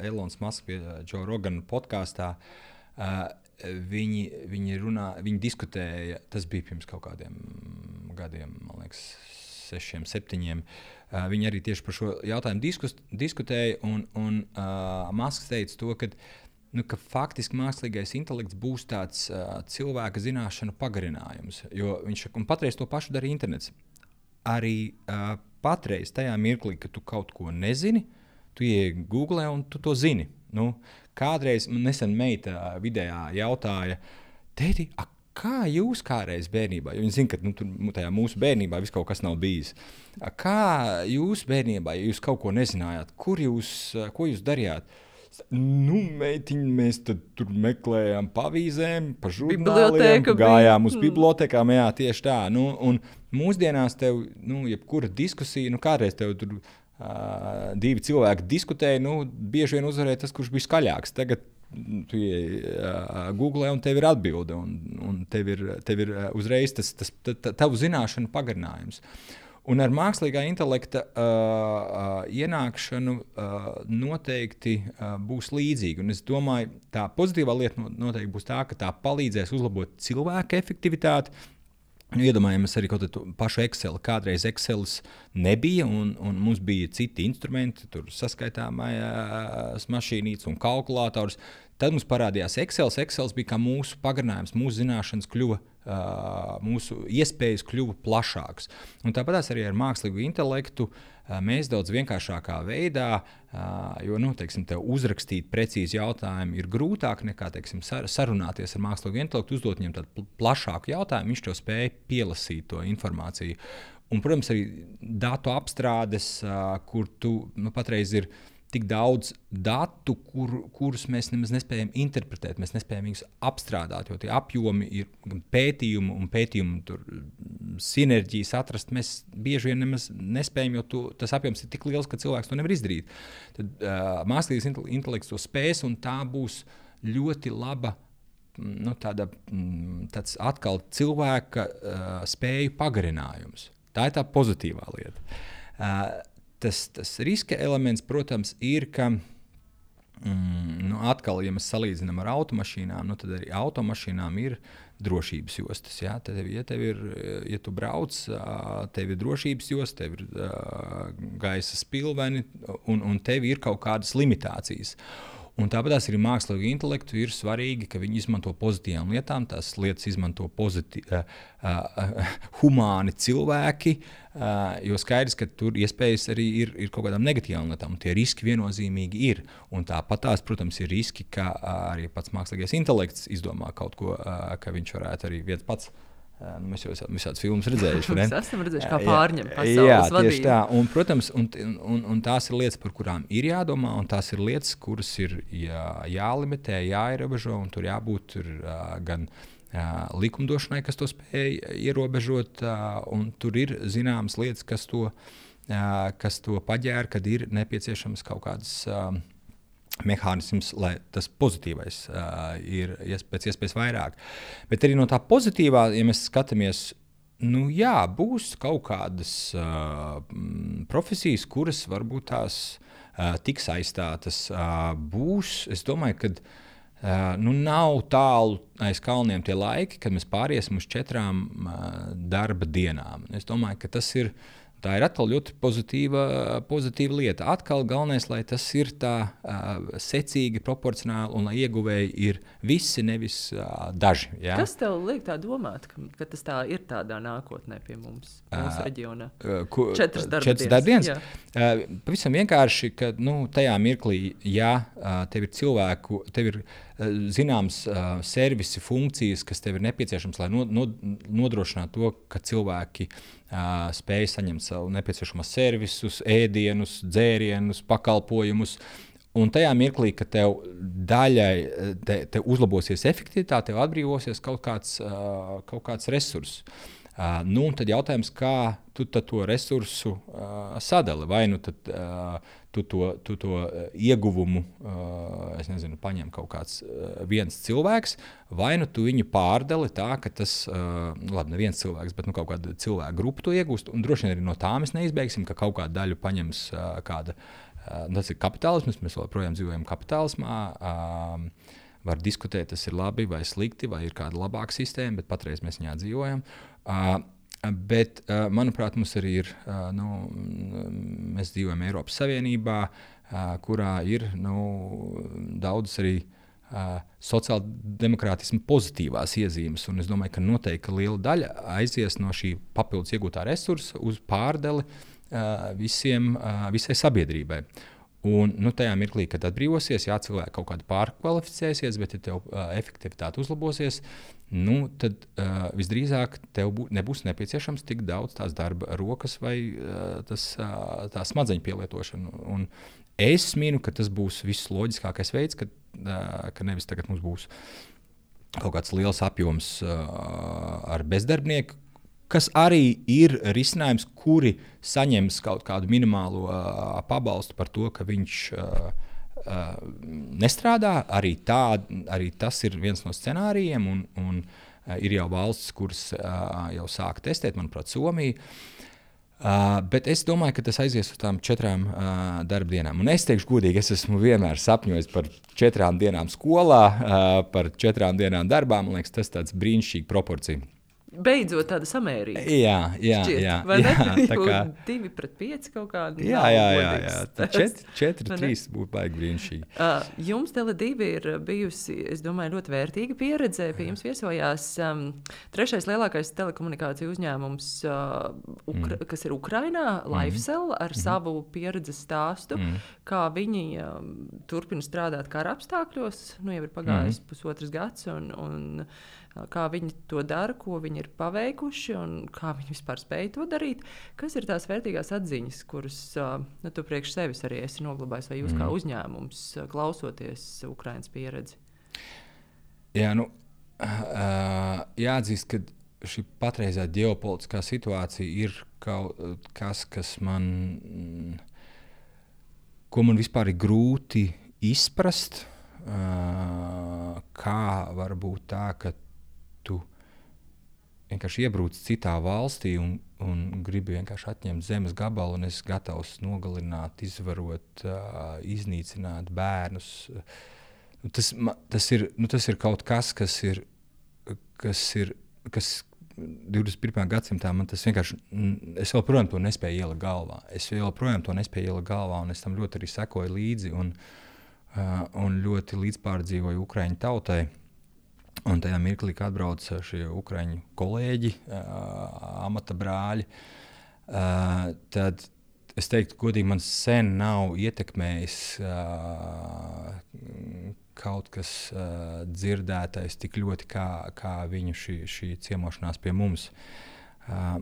Elons Musk pie Joe Rogan podkāstā, uh, viņi, viņi, runā, viņi diskutēja, tas bija pirms kaut kādiem gadiem, man liekas, sešiem, septiņiem. Uh, viņi arī tieši par šo jautājumu diskus, diskutēja, un, un uh, Musks teica to, ka, nu, ka faktiski mākslīgais intelekts būs tāds uh, cilvēka zināšanu pagarinājums, jo viņš un patreiz to pašu dara internets. Arī uh, patreiz tajā mirklī, ka tu kaut ko nezini, tu ieej Google un tu to zini. Nu, kādreiz man nesen meita vidējā jautāja, tēti, a, kā jūs kādreiz bērnībā, jo viņi zina, ka nu, tur, tajā mūsu bērnībā viss kaut kas nav bijis. A, kā jūs bērnībā, ja jūs kaut ko nezinājāt, kur jūs, ko jūs darījāt? Nu, meitiņi, mēs tad tur meklējām pa avīzēm, pa žurnāliem, gājām uz bibliotēkām, jā, tieši tā. Nu, un mūsdienās tev, nu, jebkura diskusija, nu, kādreiz tev tur uh, divi cilvēki diskutēja, nu, bieži vien uzvarēja tas, kurš bija skaļāks. Tagad tu ieej uh, Google un tev ir atbilde, un, un tev ir, tev ir uh, uzreiz tas, tas tavu zināšanu pagarinājums. Un ar mākslīgā intelekta uh, uh, ienākšanu uh, noteikti uh, būs līdzīga. Un es domāju, tā pozitīvā lieta noteikti būs tā, ka tā palīdzēs uzlabot cilvēku efektivitāti. Iedomājamies arī kaut kādu pašu Excel. Kādreiz Excels nebija, un, un mums bija citi instrumenti, tur saskaitāmās mašīnītes un kalkulators. Tad mums parādījās Excels. Excels bija kā mūsu pagarinājums, mūsu zināšanas kļuva, uh, mūsu iespējas kļuva plašākas. Un tāpat arī ar mākslīgu intelektu uh, mēs daudz vienkāršākā veidā, uh, jo, nu, teiksim, tev uzrakstīt precīzi jautājumu ir grūtāk nekā, teiksim, sar- sarunāties ar mākslīgu intelektu, uzdot viņam tādu plašāku jautājumu, viņš tev spēja pielasīt to informāciju. Un, protams, arī datu apstrādes, uh, kur tu, nu, patreiz ir tik daudz datu, kur, kurus mēs nemaz nespējam interpretēt, mēs nespējam viņus apstrādāt, jo tie apjomi ir gan pētījumi un pētījumu tur sinerģijas atrast, mēs bieži vien nemaz nespējam, jo tu, tas apjoms ir tik liels, ka cilvēks to nevar izdarīt. Tad uh, mākslīgais intelekts to spēs, un tā būs ļoti laba, nu, tāda, tāds atkal cilvēka uh, spēju pagarinājums. Tā ir tā pozitīvā lieta. Uh, Tas, tas riska elements, protams, ir, ka mm, nu, atkal, ja mēs salīdzinām ar automašīnām, nu, tad arī automašīnām ir drošības jostas. Ja? Tev, ja, tev ir, ja tu brauc, tev ir drošības jostas, tev ir uh, gaisa spilveni un, un tev ir kaut kādas limitācijas. Un tāpat arī mākslīgu intelektu ir svarīgi, ka viņi izmanto pozitīvām lietām, tās lietas izmanto pozitī, uh, uh, humāni cilvēki, uh, jo skaidrs, ka tur iespējas arī ir, ir kaut kādām negatīvām lietām, un tie riski viennozīmīgi ir. Un tāpat tās, protams, ir riski, ka uh, arī pats mākslīgais intelekts izdomā kaut ko, uh, ka viņš varētu arī viens pats. Nu, mēs jau esam visādas filmas redzējuši. Mēs esam redzējuši, kā pārņem pasaules jā, vadību. Tieši tā. Un, protams, un, un, un tās ir lietas, par kurām ir jādomā, un tās ir lietas, kuras ir jā, jālimitē, jāierobežo, un tur jābūt tur, uh, gan uh, likumdošanai, kas to spēj ierobežot, uh, un tur ir zināmas lietas, kas to, uh, kas to paģēra, kad ir nepieciešams kaut kādas uh, mehānisms, lai tas pozitīvais uh, ir pēc iespējas vairāk. Bet arī no tā pozitīvā, ja mēs skatāmies, nu jā, būs kaut kādas uh, profesijas, kuras varbūt tās uh, tiks aizstātas. Uh, būs, es domāju, ka uh, nu nav tālu aiz kalniem tie laiki, kad mēs pāriesim uz četrām uh, darba dienām. Es domāju, ka tas ir Tā ir atkal ļoti pozitīva, pozitīva lieta. Atkal galvenais, lai tas ir tā uh, secīgi, proporcionāli un lai ieguvēji ir visi, nevis uh, daži. Ja? Kas tev liek tā domāt, ka, ka tas tā ir tādā nākotnē pie mums, mūsu uh, reģionā? Uh, ku, četras darbdienas. darbdienas. Uh, pavisam vienkārši, ka nu, tajā mirklī, ja uh, tev ir cilvēku, tev ir uh, zināms uh, servisi, funkcijas, kas tev ir nepieciešams, lai no, no, nodrošinātu to, ka cilvēki Uh, spēja saņemt savu nepieciešamos servisus, ēdienus, dzērienus, pakalpojumus. Un tajā mirklī, kad tev daļai te, te uzlabosies efektivitāte, tev atbrīvosies kaut kāds, uh, kaut kāds resurss. Uh, nu, tad jautājums, kā tu to resursu uh, sadali? Vai nu tad, uh, tu to, tu to ieguvumu uh, es nezinu, paņem kaut kāds uh, viens cilvēks, vai nu tu viņu pārdali tā, ka tas, uh, labi, ne viens cilvēks, bet nu, kaut kāda cilvēka grupa to iegūst, un droši vien arī no tā mēs neizbeigsim, ka kaut kādu daļu paņems uh, kāda, uh, tas ir kapitālisms, mēs joprojām dzīvojam kapitālismā, uh, var diskutēt, tas ir labi vai slikti, vai ir kāda labāka sistēma, bet patreiz mēs viņā dzīvojam. Uh, bet, uh, manuprāt, mums arī ir, uh, nu, mēs dzīvojam Eiropas Savienībā, uh, kurā ir nu, daudz arī uh, sociāldemokrātisma pozitīvās iezīmes, un es domāju, ka noteikti liela daļa aizies no šī papildus iegūtā resursa uz pārdeli uh, visiem, uh, visai sabiedrībai. Un, nu, tajā mirklī, kad atbrīvosies, jā, cilvēki kaut kādi pārkvalificēsies, bet ja tev uh, efektivitāte uzlabosies, nu, tad uh, visdrīzāk tev bū, nebūs nepieciešams tik daudz tās darba rokas vai uh, tas, uh, tā smadzeņu pielietošana. Un es minu, ka tas būs viss loģiskākais veids, ka, uh, ka nevis tagad mums būs kaut kāds liels apjoms uh, ar bezdarbnieku, kas arī ir risinājums, kuri saņems kaut kādu minimālo uh, pabalstu par to, ka viņš uh, uh, nestrādā. Arī, tā, arī tas ir viens no scenārijiem, un, un uh, ir jau valsts, kuras uh, jau sāk testēt, manuprāt, Somija. Uh, bet es domāju, ka tas aizies uz tām četrām uh, darba dienām. Un es teikšu godīgi, es esmu vienmēr sapņojis par četrām dienām skolā, uh, par četrām dienām darbā. Man liekas, tas tāds brīnišķīgi proporcija. Beidzot tāda samērīga. Jā, jā, šķiet, jā. Vai jā, ne? Tā kā divi pret pieci kaut kādi. Jā, jā, jā, jā. četri, četri, trīs būtu baigi brīnišķīgi. Uh, jums Tele divi ir bijusi, es domāju, ļoti vērtīga pieredze. Pie jums viesojās um, trešais lielākais telekomunikāciju uzņēmums, uh, Ukra- mm. kas ir Ukrainā, LifeCell, ar mm. savu pieredzes stāstu, mm. kā viņi um, turpina strādāt kara apstākļos. Nu, jau ir pagājis mm. pusotras gads, un, un kā viņi to dara, ko viņi ir paveikuši un kā viņi vispār spēj to darīt. Kas ir tās vērtīgās atziņas, kuras nu, tu priekš sevis arī esi noglabājis, vai jūs mm. kā uzņēmums, klausoties Ukrainas pieredzi? Jā, nu, uh, jāatzīst, ka šī patreizā ģeopolitiskā situācija ir kaut kas, kas man, ko man vispār ir grūti izprast, uh, kā var būt tā, ka tu vienkārši iebrūc citā valstī un, un gribi vienkārši atņemt zemes gabalu, un esi gatavs nogalināt, izvarot, uh, iznīcināt bērnus. Nu, tas, tas, ir, nu, tas ir kaut kas, kas ir, kas ir, kas divdesmit pirmajā gadsimtā man tas vienkārši, es joprojām to nespēju ielikt galvā. Es joprojām to nespēju ielikt galvā, un es tam ļoti arī sekoju līdzi, un, uh, un ļoti līdzpārdzīvoju Ukraiņu tautai. Un tajā mirklī, kad atbrauca šie ukraiņu kolēģi, uh, amata brāļi, uh, tad es teiktu, godīgi, man sen nav ietekmējis uh, kaut kas uh, dzirdētais tik ļoti, kā, kā viņu šī, šī ciemošanās pie mums. Uh,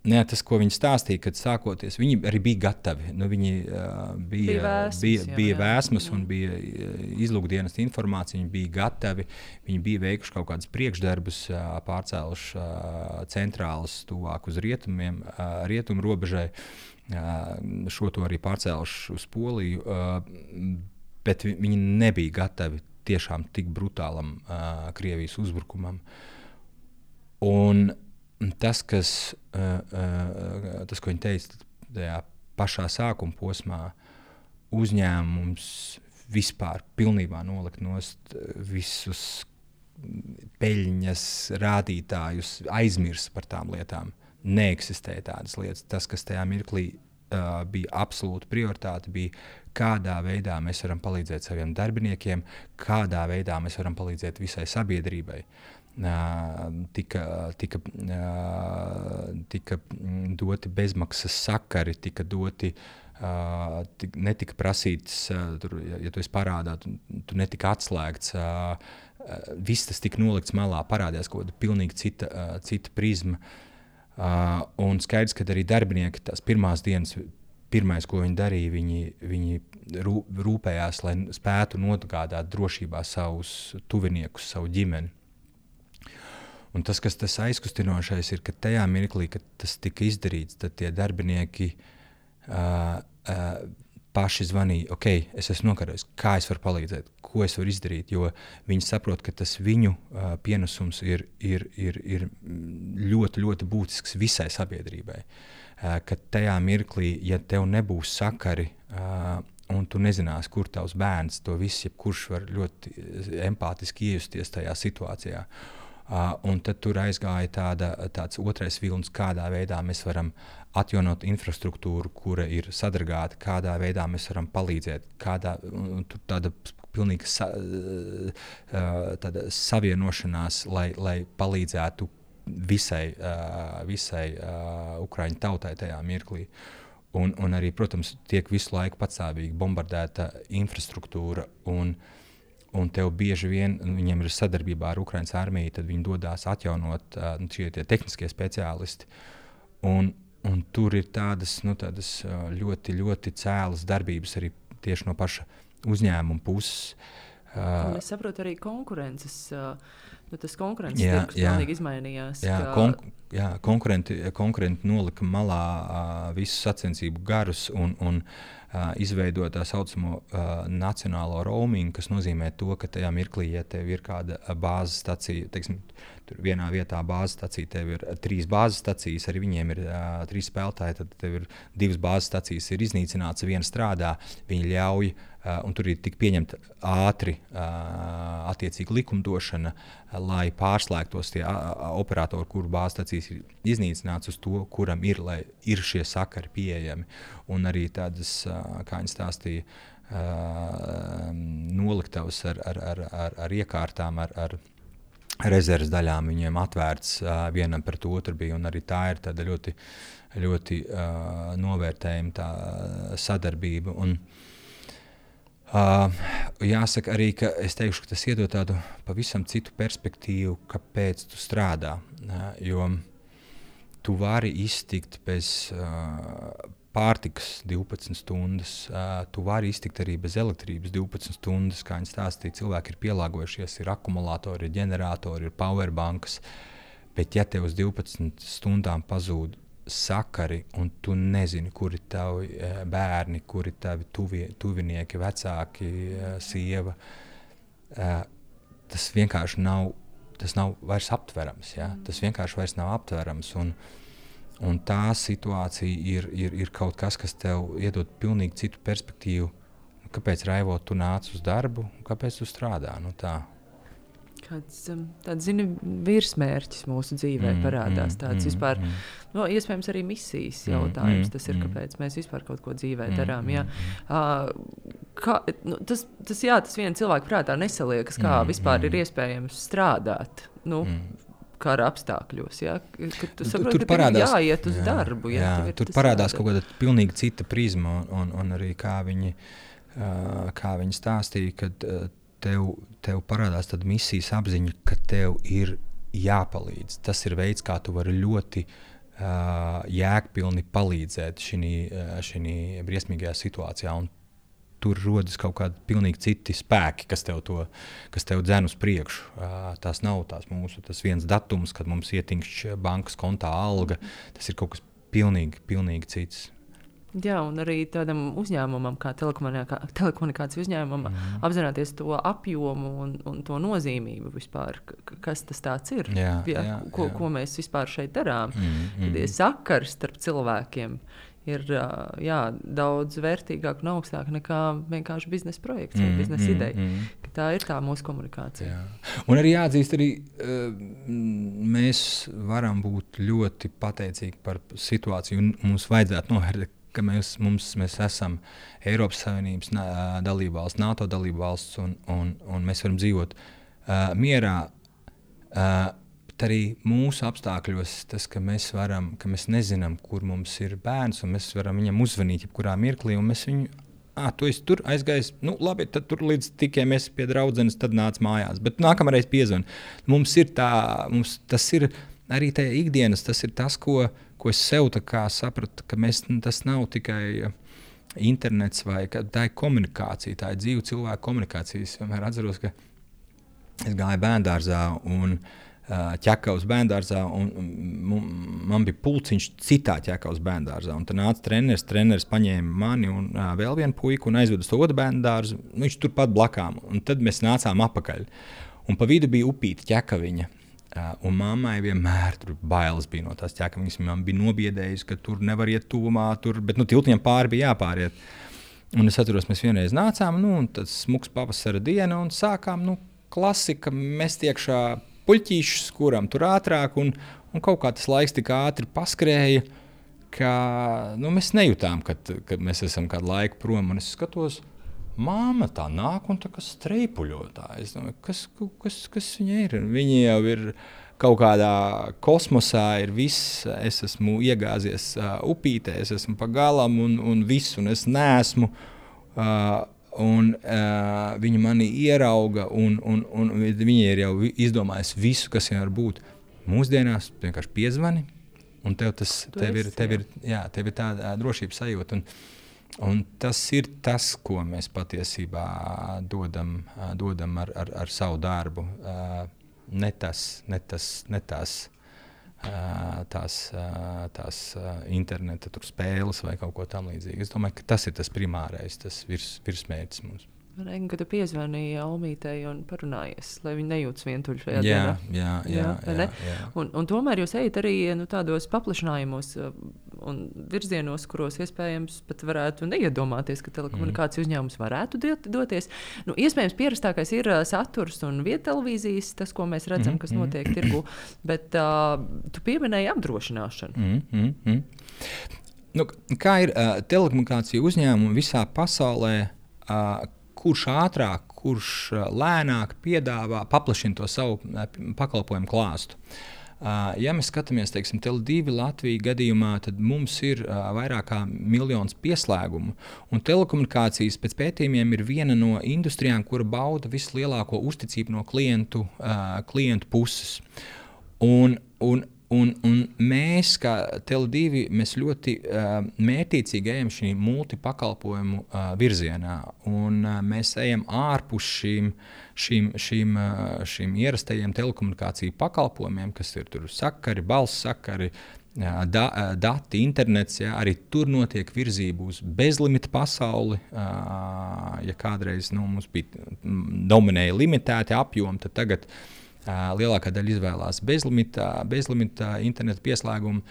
Ne, tas, ko viņi stāstīja, kad sākoties, viņi arī bija gatavi. Nu, viņi uh, bija, bija vēsmas, bija, jā, bija jā. vēsmas un bija izlūkdienas informācija, viņi bija gatavi, viņi bija veikuši kaut kādus priekšdarbus, uh, pārcēluši uh, centrālas tuvāk uz rietumiem, uh, rietumu robežai, uh, šo to arī pārcēluši uz Poliju, uh, bet vi, viņi nebija gatavi tiešām tik brutālam uh, Krievijas uzbrukumam. Un Tas, kas, uh, uh, tas, ko viņi teica tajā pašā sākuma posmā, uzņēmums vispār pilnībā nolikt nost visus peļņas rādītājus, aizmirst par tām lietām. Neeksistēja tādas lietas. Tas, kas tajā mirklī uh, bija absolūta prioritāte, bija kādā veidā mēs varam palīdzēt saviem darbiniekiem, kādā veidā mēs varam palīdzēt visai sabiedrībai. Uh, tika, tika, uh, tika doti bezmaksas sakari, tika doti, uh, tika, netika prasīts, uh, tur, ja, ja tu esi parādā, tu, tu netika atslēgts, uh, uh, viss tas tika nolikts malā, parādījās kaut kāda pilnīgi cita, uh, cita prizma. Uh, un skaidrs, ka arī darbinieki tās pirmās dienas, pirmais, ko viņi darīja, viņi, viņi rū, rūpējās, lai spētu nogādāt drošībā savus tuviniekus, savu ģimeni. Un tas, kas tas aizkustinošais ir, ka tajā mirklī, kad tas tika izdarīts, tad tie darbinieki uh, uh, paši zvanīja, ok, es esmu nokarojis, kā es varu palīdzēt, ko es varu izdarīt, jo viņi saprot, ka tas viņu uh, pienesums ir, ir, ir, ir ļoti, ļoti būtisks visai sabiedrībai. Uh, ka tajā mirklī, ja tev nebūs sakari, uh, un tu nezinās, kur tavs bērns, to viss, jebkurš var ļoti empātiski iejusties tajā situācijā. Uh, un tad tur aizgāja tāda, tāds otrais vilnis, kādā veidā mēs varam atjaunot infrastruktūru, kura ir sadragāta, kādā veidā mēs varam palīdzēt, kādā, un tur tāda pilnīga sa, uh, tāda savienošanās, lai, lai palīdzētu visai, uh, visai uh, Ukraiņu tautai tajā mirklī. Un, un arī, protams, tiek visu laiku patstāvīgi bombardēta infrastruktūra, un Un tev bieži vien, viņiem ir sadarbībā ar Ukrainas armiju, tad viņi dodās atjaunot uh, šie tie tehniskie speciālisti. Un, un tur ir tādas, nu, tādas uh, ļoti, ļoti cēlas darbības arī tieši no paša uzņēmuma puses. Uh, un es saprotu arī konkurences uh, nu, tas konkurences tirgus pilnīgi izmainījās. Jā, ka... kon, jā konkurenti, konkurenti nolika malā uh, visus sacensību garus un, un uh, izveidoja tā saucamo uh, nacionālo roaming, kas nozīmē to, ka tajā mirklī, ja tev ir kāda bāzes stacija, teiksim, tur vienā vietā bāzes stacija, tev ir trīs bāzes stacijas, arī viņiem ir uh, trīs spēlētāji, tad tev ir divas bāzes stacijas, ir iznīcināts, viena strādā, viņi ļauj, uh, un tur ir tik pieņemta ātri uh, attiecīga likumdošana, uh, lai pārslēgtos tie uh, operatori, kuru bāzes stacijas ir iznīcināts uz to, kuram ir, lai ir šie sakari pieejami. Un arī tādas, uh, kā viņi stāstīja, uh, noliktavas ar, ar, ar, ar, ar iekārtām, ar, ar rezerves daļām viņiem atvērts uh, vienam pret otru bija, un arī tā ir tāda ļoti, ļoti uh, novērtējama tā sadarbība. Un, uh, jāsaka arī, ka es teikšu, ka tas iedod tādu pavisam citu perspektīvu, kāpēc tu strādā, uh, jo tu vari iztikt bez uh, pārtikas divpadsmit stundas, uh, tu vari iztikt arī bez elektrības divpadsmit stundas, kā viņi stāstīja, cilvēki ir pielāgojušies, ir akumulātori, ir ģeneratori, ir powerbankas, bet ja tev uz divpadsmit stundām pazūd sakari un tu nezini, kuri tavi uh, bērni, kuri tavi tuvie, tuvinieki, vecāki, uh, sieva, uh, tas vienkārši nav, tas nav vairs aptverams, ja? Tas vienkārši vairs nav aptverams, un Un tā situācija ir, ir, ir kaut kas, kas tev iedod pilnīgi citu perspektīvu. Kāpēc, Raivo, tu nāc uz darbu, kāpēc tu strādā? Nu, tā. Kāds, tāds, zini, virsmērķis mūsu dzīvē mm, parādās. Tāds mm, vispār, mm. no, iespējams, arī misijas jautājums. Tas ir, kāpēc mēs vispār kaut ko dzīvē mm, darām. Jā. Uh, kā, nu, tas, tas, jā, tas viena cilvēka prātā nesaliekas, kā mm, vispār mm. ir iespējams strādāt. Nu, mm. kara apstākļos, ja? Kad tu saproti, tur ka parādās, tev jāiet uz jā, darbu. Ja? Jā, tur parādās kaut kāda pilnīgi cita prizma, un, un, un arī kā viņi, uh, kā viņi stāstīja, kad uh, tev, tev parādās tāda misijas apziņa, ka tev ir jāpalīdz. Tas ir veids, kā tu vari ļoti uh, jēgpilni palīdzēt šinī, uh, šinī briesmīgajā situācijā, un tur rodas kaut kādi pilnīgi citi spēki, kas tev, to, kas tev dzen uz priekšu. Uh, tās nav tās mūsu, tas viens datums, kad mums ietinkšķ bankas kontā alga, tas ir kaut kas pilnīgi, pilnīgi cits. Jā, un arī tādam uzņēmumam, kā telekomunikāciju uzņēmumam, mm. apzināties to apjomu un, un to nozīmību vispār, kas tas tāds ir, jā, jā, jā, ko, jā. ko mēs vispār šeit darām. Mm, mm. Sakars starp cilvēkiem ir jā, daudz vērtīgāk un augstāk nekā vienkārši biznesa projekts vai mm, biznesa mm, ideja. Mm. Tā ir tā mūsu komunikācija. Jā. Un arī jāatzīst, arī uh, mēs varam būt ļoti pateicīgi par situāciju, un mums vajadzētu novērtēt, ka mēs, mums, mēs esam Eiropas Savienības dalībvalsts, NATO dalībvalsts, un, un, un mēs varam dzīvot uh, mierā. Uh, Arī mūsu apstākļos tas, ka mēs varam, ka mēs nezinām, kur mums ir bērns, un mēs varam viņam uzvanīt jebkurā mirklī, un mēs viņu, ā, tu esi tur aizgājis, nu labi, tad tur līdz tikai mēs pie draudzenes, tad nāc mājās, bet nākamreiz piezvan. Mums ir tā, mums tas ir arī tā ikdienas, tas ir tas, ko, ko es sev tā kā sapratu, ka mēs, tas nav tikai internets vai ka tā ir komunikācija, tā ir dzīva cilvēku komunikācija. Es vienmēr atceros, ka es gāju bērndārzā un ķekavas bērndārzā, un man bija pulciņš citā ķekavas bērndārzā. Un tad nāca treneris, treneris paņēma mani un uh, vēl vienu puiku un aizveda uz to otru bērndārzu. Viņš turpat blakām. Un tad mēs nācām apakaļ. Un pa vidu bija upīta ķekaviņa. Uh, un mammai vienmēr tur bailes bija no tās ķekaviņas. Man bija nobiedējusi, ka tur nevar iet tuvumā, tur, bet nu, tiltiņam pāri bija jāpāriet. Un es atceros, mēs vienreiz nācām, nu, un tad smuks pavasara diena, un sākām, nu, klasika, mest iekšā puļķīšus, kuram tur ātrāk, un, un kaut kā tas laiks tik ātri paskrēja, ka nu, mēs nejūtām, kad, kad mēs esam kādu laiku prom. Un es skatos, māma tā nāk un tā kā streipuļotā. Es domāju, kas, kas, kas viņa ir? Viņa jau ir kaut kādā kosmosā, ir viss, es esmu iegāzies uh, upītē, es esmu pa galam un, un viss, un es neesmu. Uh, Un uh, viņa mani ierauga, un, un, un viņa ir jau izdomājusi visu, kas jau var būt. Mūsdienās vienkārši piezvani, un tev, tas, tev, ir, tev, ir, jā, tev ir tāda drošības sajūta. Un, un tas ir tas, ko mēs patiesībā dodam, dodam ar, ar, ar savu darbu. Uh, ne tas, ne tas, ne tās, uh, tās, uh, tās uh, interneta tur spēles vai kaut ko tam līdzīgu. Es domāju, ka tas ir tas primārais, tas virs, virsmērķis mums. Reigan, kad tu piezvanīji Almītei un parunājies, lai viņi nejūtas vientuļi šajā jā, dienā. Jā, jā, jā, jā, jā. Un, un tomēr jūs ejat arī nu, tādos paplašinājumos un virzienos, kuros iespējams pat varētu neiedomāties, ka telekomunikāciju mm. uzņēmums varētu dot, doties. Nu, iespējams, pierastākais ir uh, saturs un viedtelevīzijas, tas, ko mēs redzam, mm. kas notiek mm. tirgu, bet uh, tu pieminēji apdrošināšanu. Mm. Mm. Mm. Nu, kā ir uh, telekomunikāciju uzņēmumi visā pasaulē, uh, kurš ātrāk, kurš lēnāk piedāvā, paplašina to savu pakalpojumu klāstu. Ja mēs skatāmies, teiksim, Tele divi Latvijas gadījumā, tad mums ir vairāk kā miljons pieslēgumu. Un telekomunikācijas pēc pētījumiem ir viena no industrijām, kura bauda vislielāko uzticību no klientu, klientu puses. Un, un Un, un mēs, kā Tele divi, mēs ļoti uh, mērķiecīgi ejam šī multipakalpojumu uh, virzienā. Un, uh, mēs ejam ārpus šīm, šīm, šīm, uh, šīm ierastajiem telekomunikāciju pakalpojumiem, kas ir tur sakari, balss sakari, uh, da, uh, dati, internets. Ja, arī tur notiek virzība uz bezlimita pasauli. Uh, ja kādreiz nu, mums bija dominēja limitēti apjomi, tad tagad Uh, lielākā daļa izvēlās bezlimita, bezlimita interneta pieslēgumu.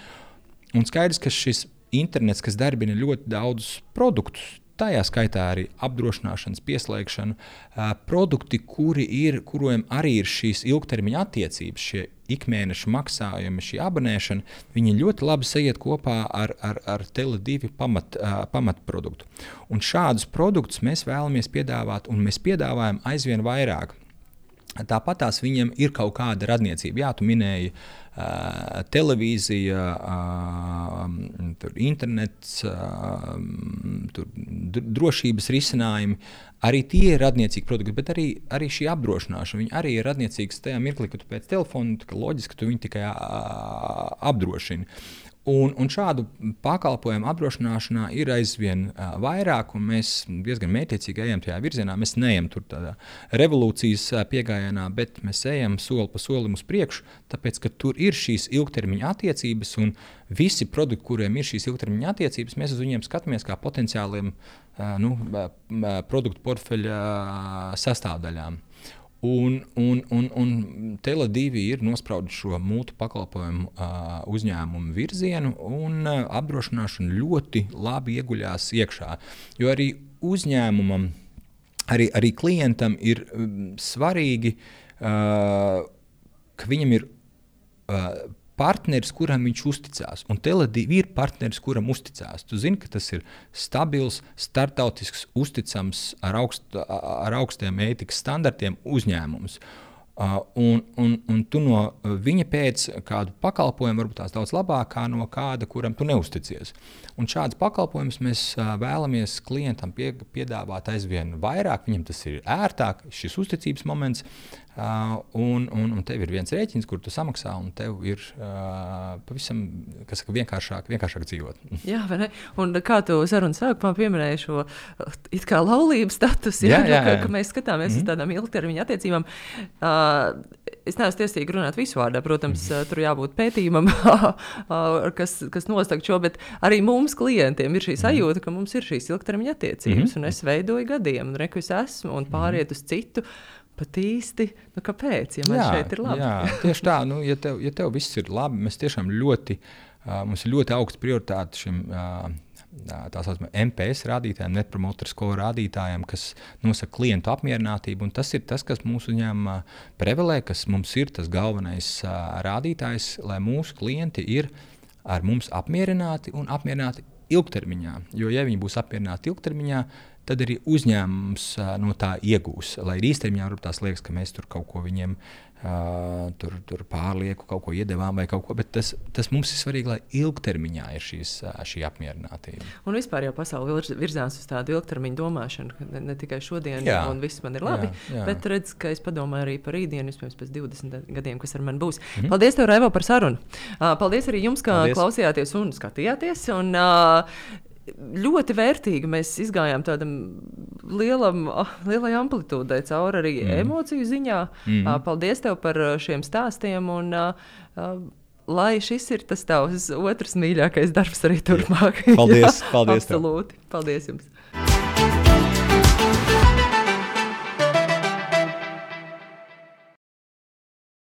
Un skaidrs, ka šis internets, kas darbina ļoti daudzus produktus, tajā skaitā arī apdrošināšanas pieslēgšanu, uh, produkti, kuri ir, kuriem arī ir šīs ilgtermiņa attiecības, šie ikmēneša maksājumi, šī abonēšana, viņi ļoti labi sajiet kopā ar, ar, ar Tele divi pamat, uh, pamatproduktu. Un šādus produktus mēs vēlamies piedāvāt, un mēs piedāvājam aizvien vairāk. Tāpat tās viņiem ir kaut kāda radniecība. Jā, tu minēji uh, televīzija, uh, tur internets, uh, tur drošības risinājumi. Arī tie ir radniecīgi produkti, bet arī, arī šī apdrošināšana. Viņi arī ir radniecīgas tajā mirklī, kad tu pēc telefona, ka loģiski, ka tu viņu tikai uh, apdrošini. Un, un šādu pakalpojumu apdrošināšanā ir aizvien uh, vairāk, un mēs diezgan mērķiecīgi ejam tajā virzienā. Mēs neejam tur tādā revolūcijas uh, piegājienā, bet mēs ejam soli pa solim uz priekšu, tāpēc, ka tur ir šīs ilgtermiņa attiecības, un visi produkti, kuriem ir šīs ilgtermiņa attiecības, mēs uz viņiem skatāmies kā potenciāliem uh, nu, uh, produktu portfeļa uh, sastāvdaļām. Un, un, un, un Tele divi ir nospraudis šo multipakalpojumu uh, uzņēmumu virzienu, un uh, apdrošināšana ļoti labi ieguļās iekšā. Jo arī uzņēmumam, arī, arī klientam ir um, svarīgi, uh, ka viņam ir uh, partneris, kuram viņš uzticās. Un Tele divi ir partneris, kuram uzticās. Tu zini, ka tas ir stabils, startautisks, uzticams, ar, augst, ar augstiem ētikas standartiem uzņēmums. Uh, un, un, un tu no viņa pēc kādu pakalpojumu varbūt tās daudz labākā no kāda, kuram tu neusticies. Un šādas pakalpojumus mēs uh, vēlamies klientam pie, piedāvāt aizvien vairāk, viņam tas ir ērtāk, šis uzticības moments, uh, un, un, un tev ir viens rēķins, kur tu samaksā, un tev ir uh, pavisam, kas saka, vienkāršāk, vienkāršāk dzīvot. Jā, vai ne? Un kā tu sarunas sākumā pieminēji šo it kā laulības status, jā, jā, jā, jā. Ka, ka mēs skatāmies mm-hmm. uz tādām ilgtermiņa attiecībām. Uh, Es neesmu tiesīgi runāt visu vārdā, protams, mm. tur jābūt pētījumam, kas, kas nostāk šo, bet arī mums klientiem ir šī sajūta, ka mums ir šīs ilgtermiņa attiecības, mm. un es veidoju gadiem, un reku es esmu, un pāriet uz citu, pat īsti, nu kāpēc, ja man jā, šeit ir labi? Jā, tieši tā, nu, ja tev, ja tev viss ir labi, mēs tiešām ļoti, uh, mums ir ļoti augsta prioritāte šim uh, tā saucamā M P S rādītājiem, Net Promoter Score rādītājiem, kas nosaka klientu apmierinātību, un tas ir tas, kas mūsu uzņēmumā prevalē, kas mums ir tas galvenais uh, rādītājs, lai mūsu klienti ir ar mums apmierināti un apmierināti ilgtermiņā. Jo, ja viņi būs apmierināti ilgtermiņā, tad arī uzņēmums uh, no tā iegūs. Lai arī īstermiņā varbūt tās liekas, ka mēs tur kaut ko viņiem uh, tur, tur pārlieku, kaut ko iedevām vai kaut ko, bet tas, tas mums ir svarīgi, lai ilgtermiņā ir šīs, uh, šī apmierinātība. Un vispār jau pasauli virzās uz tādu ilgtermiņu domāšanu, ka ne, ne tikai šodien jā. Un viss man ir labi, jā, jā. Bet redz, ka es padomāju arī par rītdienu, vispēc pēc divdesmit gadiem, kas ar mani būs. Mm-hmm. Paldies tev, Raivo, par sarunu. Uh, paldies arī jums, ka paldies. Klausījāties un skatījāties. Un, uh, ļoti vērtīgi. Mēs izgājām tādam lielam, lielai amplitūdai cauri arī mm. emociju ziņā. Mm. Paldies tev par šiem stāstiem un lai šis ir tas tavs otrs mīļākais darbs arī turpmāk. Paldies, paldies. Absolūti. Paldies jums.